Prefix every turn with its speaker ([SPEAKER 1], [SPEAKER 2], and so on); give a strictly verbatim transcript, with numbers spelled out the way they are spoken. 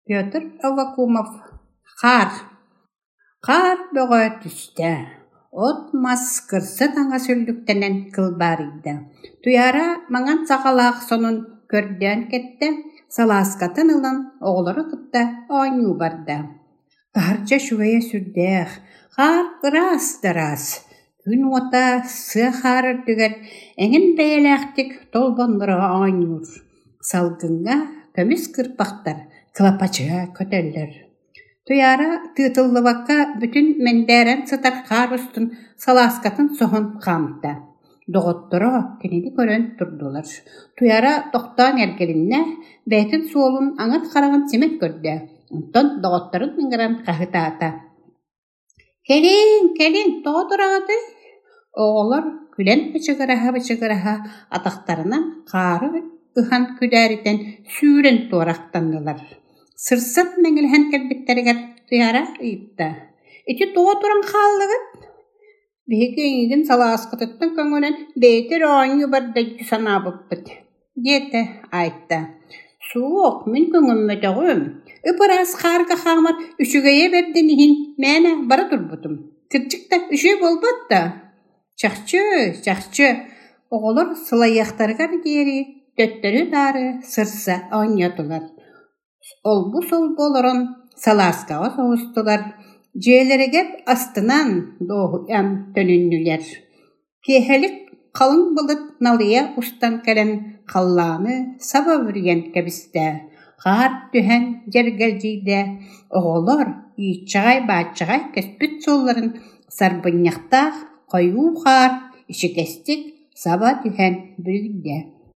[SPEAKER 1] Петр Аввакумов «Хаар» Хаар бөҕө түстэ, от-мас, кырса таҥас үллүктэнэн кылбаарыйда. Туйаара маҥан саҕалаах сонун көрдөөн кэттэ, салааскатын ылан оҕолору кытта оонньуу барда. Таһырдьа үчүгэйэ сүрдээх, хаар ыраас да ыраас, күн уота сыа хаар үрдүгэр эҥин бэйэлээхтик толбоннура оонньуур, салгыҥҥа көмүс кырбахтар кылапачыйа көтөллөр. Туйаара тыытыллыбакка бүтүн мэндээрэн сытар хаар устун салааскатын соһон хаамта. Доҕотторо кинини көрөн турдулар. Туйаара тохтоон эргилиннэ, бэйэтин суолун аҥар хараҕын симэн көрдө, онтон доҕотторун ыҥыран хаһыытаата: «Кэлиҥ, кэлиҥ, тоҕо тураҕытый?» Оҕолор күлэн бычыгыраһа-бычыгыраһа атахтарынан хаары ыһан күдээритэн сүүрэн туорахтаннылар. Сырсан мэҥилэһэн кэлбиттэригэр Туйаара ыйытта: «Ити тоҕо туран хааллыгыт?» «Биһиги эйигин салааскатыттан көҥөнөн бэйэтэ эрэ оонньуу барда дии санаабыппыт» диэтэ Айта. «Суох, мин көҥөммөтөҕүм, ып-ыраас хаарга хаамар үчүгэйэ бэрдин иһин мээнэ бара турбутум. Кырдьык да үчүгэй буолбат да?» «Чахчы, чахчы» оҕолор сылайыахтарыгар диэри төттөрү-таары сырса оонньоотулар, олбу-солбу олорон салааскаҕа соһустулар, дьиэлэригэр астынан, дуоһуйан төнүннүлэр. Киэһэлик халыҥ былыт налыйа устан кэлэн халлааны саба бүрүйэн кэбистэ, хаар түһэн дьэргэлдьийдэ, оҕолор ииччэҕэй-бааччаҕай кэспит суолларын сарбынньахтаах хойуу хаар ичигэстик саба түһэн бүрүйдэ.